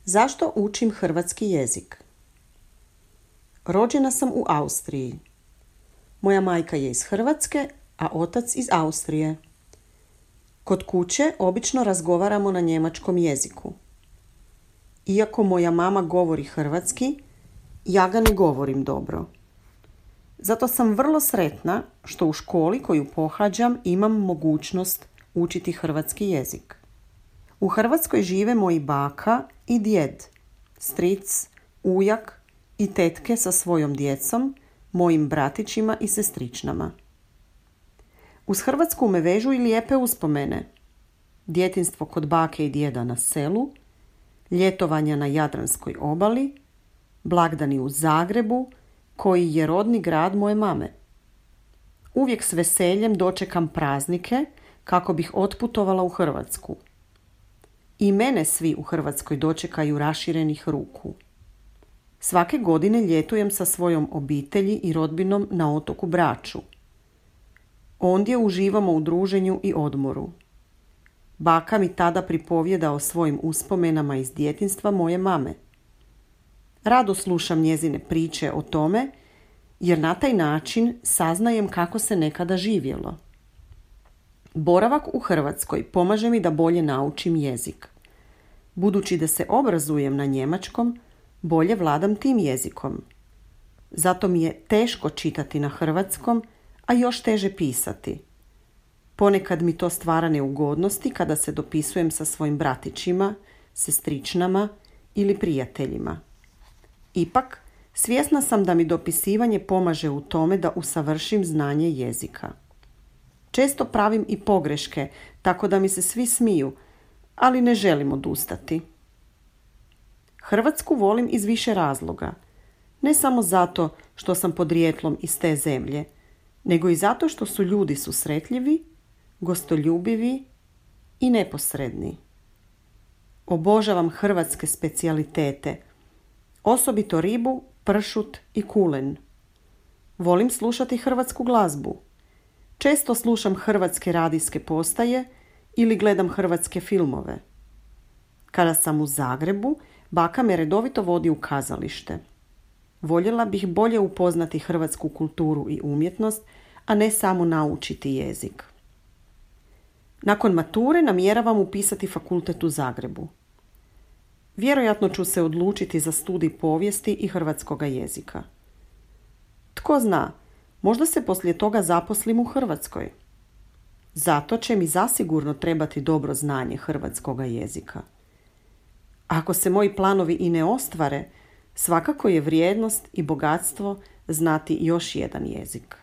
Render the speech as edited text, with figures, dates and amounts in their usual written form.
Zašto učim hrvatski jezik? Rođena sam u Austriji. Moja majka je iz Hrvatske, a otac iz Austrije. Kod kuće obično razgovaramo na njemačkom jeziku. Iako moja mama govori hrvatski, ja ga ne govorim dobro. Zato sam vrlo sretna što u školi koju pohađam imam mogućnost učiti hrvatski jezik. U Hrvatskoj žive moji baka i djed, stric, ujak i tetke sa svojom djecom, mojim bratićima i sestričnama. Uz Hrvatsku me vežu i lijepe uspomene. Djetinjstvo kod bake i djeda na selu, ljetovanja na Jadranskoj obali, blagdani u Zagrebu, koji je rodni grad moje mame. Uvijek s veseljem dočekam praznike kako bih otputovala u Hrvatsku. I mene svi u Hrvatskoj dočekaju raširenih ruku. Svake godine ljetujem sa svojom obitelji i rodbinom na otoku Braču. Ondje uživamo u druženju i odmoru. Baka mi tada pripovijeda o svojim uspomenama iz djetinjstva moje mame. Rado slušam njezine priče o tome, jer na taj način saznajem kako se nekada živjelo. Boravak u Hrvatskoj pomaže mi da bolje naučim jezik. Budući da se obrazujem na njemačkom, bolje vladam tim jezikom. Zato mi je teško čitati na hrvatskom, a još teže pisati. Ponekad mi to stvara neugodnosti kada se dopisujem sa svojim bratićima, sestričnama ili prijateljima. Ipak, svjesna sam da mi dopisivanje pomaže u tome da usavršim znanje jezika. Često pravim i pogreške, tako da mi se svi smiju, ali ne želim odustati. Hrvatsku volim iz više razloga. Ne samo zato što sam podrijetlom iz te zemlje, nego i zato što su ljudi susretljivi, gostoljubivi i neposredni. Obožavam hrvatske specijalitete, osobito ribu, pršut i kulen. Volim slušati hrvatsku glazbu. Često slušam hrvatske radijske postaje ili gledam hrvatske filmove. Kada sam u Zagrebu, baka me redovito vodi u kazalište. Voljela bih bolje upoznati hrvatsku kulturu i umjetnost, a ne samo naučiti jezik. Nakon mature namjeravam upisati fakultet u Zagrebu. Vjerojatno ću se odlučiti za studij povijesti i hrvatskoga jezika. Tko zna, možda se poslije toga zaposlim u Hrvatskoj. Zato će mi zasigurno trebati dobro znanje hrvatskoga jezika. Ako se moji planovi i ne ostvare, svakako je vrijednost i bogatstvo znati još jedan jezik.